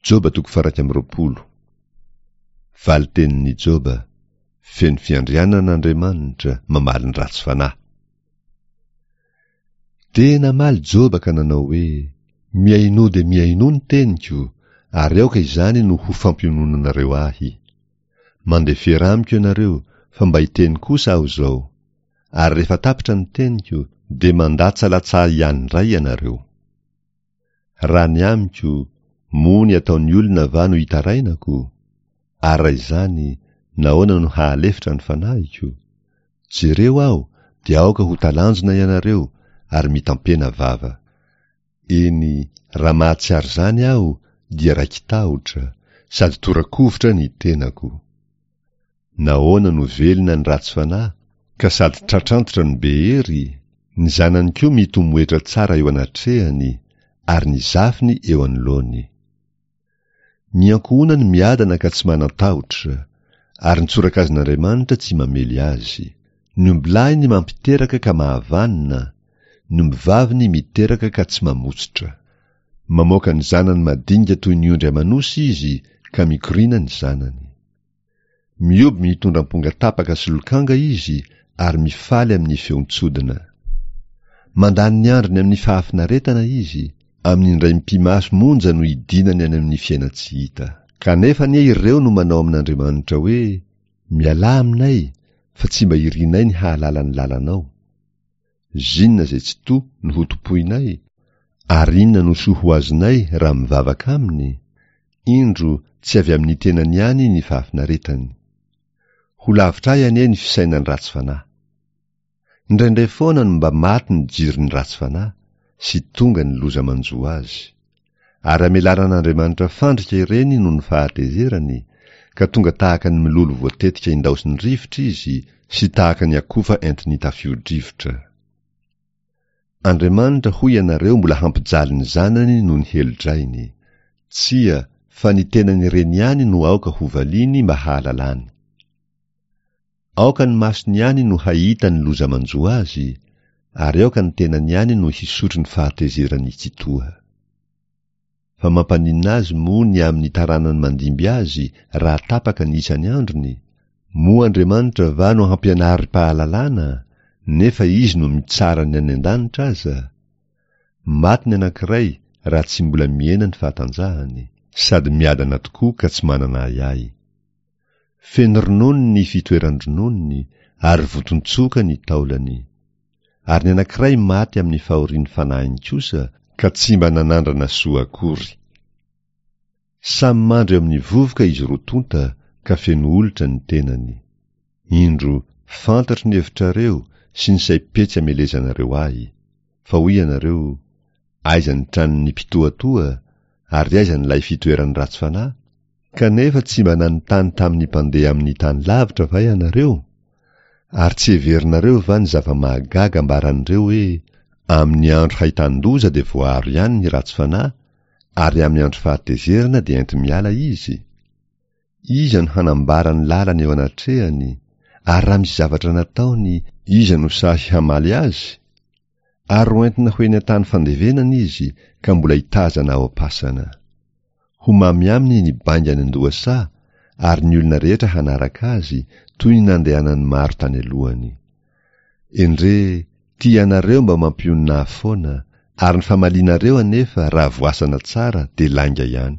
Joba toko faha-21. Valin-tenin'i Joba, Feno fiandrianana Andriamanitra, mamaly ny ratsy fanahy. Dia namaly Joba ka nanao hoe, Mihainoa dia mihainoa ny teniko, ary aoka izany no ho fampiononanareo ahy. Mandefera amiko ianareo, fa mba hiteny kosa aho izao. Ary rehefa tapitra ny teniko, dia mandatsalatsaha ihany indray ianareo. Raha ny amiko, moa ny ataon'ny olona va no itarainako? Ary raha izany, nahoana no hahalefitra ny fanahiko? Jereo aho, dia aoka ho talanjona ianareo, ary mitampena vava. Eny, raha mahatsiaro izany aho, dia raiki-tahotra, sady tora-kovitra ny tenako. Nahoana no velona ny ratsy fanahy, ka sady tratrantitra no be hery? Ny zanany koa mitomoetra tsara eo anatrehany, ary ny zafiny eo anoloany. Ny ankohonany miadana ka tsy manan-tahotra, ary ny tsorakazon'Andriamanitra tsy mamely azy. Ny ombilahiny mampiteraka ka mahavanona, ny ombivaviny miteraka ka tsy mamotsitra. Mamoaka ny zanany madinika toy ny ondry aman'osy izy, ka mikoriana ny zanany. Mihoby mitondra amponga tapaka sy lokanga izy ary mifaly amin'ny feon-tsodina. Mandany ny androny amin'ny fahafinaretana izy, amin'ny indray mipi-maso monja no idinany any amin'ny fiainan-tsy hita. Kanefa anie ireo no manao amin'Andriamanitra hoe, Mialà aminay, fa tsy mba irinay ny hahalala ny lalanao. Zinona izay tsy to no ho tompoinay? Ary inona no soa ho azonay raha mivavaka aminy? Indro, tsy avy amin'ny tenany ihany ny fahafinaretany. Ho lavitra ahy anie ny fisainan'ny ratsy fanahy. Indraindray foana no mba maty ny jiron'ny ratsy fanahy, sy tonga ny loza manjo azy. Ary amelaran'Andriamanitra fandrika ireny noho ny fahatezerany, ka tonga tahaka ny mololo voatetika indaosin'ny rivotra izy, sy tahaka ny akofa entin'ny tafio-drivotra. Andriamanitra hoy ianareo mbola hampijaly ny zanany noho ny helo-drainy. Tsia, fa ny tenany ireny ihany no aoka hovaliany mba hahalalany. Aoka ny masony ihany no hahita ny loza manjo azy, ary aoka ny tenany ihany no hisotro ny fahatezeran'ny Tsitoha. Fa mampaninona azy moa ny amin'ny taranany mandimby azy raha tapaka ny isan'ny androny? Moa Andriamanitra va no hampianarim-pahalalana, nefa Izy no mitsara ny any an-danitra aza? Maty ny anankiray raha tsy mbola mihena ny fahatanjahany, sady miadana tokoa ka tsy manana ahiahy. Feno ronono ny fitoeran-drononony ary voton-tsoka ny taolany. Ary ny anankiray maty amin'ny fahorian'ny fanahiny kosa ka tsy mba nanandrana soa akory. Samy mandry eo amin'ny vovoka izy roa tonta ka feno olitra ny tenany. Indro, fantatro ny hevitrareo sy ny saim-petsy amelezanareo ahy. Fa hoy ianareo, Aiza ny tranon'ny mpitohatoha, ary aiza ny lay fitoeran'ny ratsy fanahy? Kanefa tsy mba nanontany tamin'ny mpandeha amin'ny tany lavitra va ianareo? Ary tsy heverinareo va ny zava-mahagaga ambaran'ireo hoe, Amin'ny andro hahitan-doza dia voaaro ihany ny ratsy fanahy, ary amin'ny andro fahatezerana dia enti-miala izy? Iza no hanambara ny lalany eo anatrehany, ary raha misy zavatra nataony, iza no sahy hamaly azy? Ary hoentina ho eny an-tany fandevenana izy ka mbola hitazana ao am-pasana. Ho mamy aminy ny bainga any an-dohasaha, ary ny olona rehetra hanaraka azy, toy ny nandehanan'ny maro tany alohany. Endrey, tia anareo mba mampionona ahy foana, ary ny famalianareo anefa raha voasana tsara dia lainga ihany.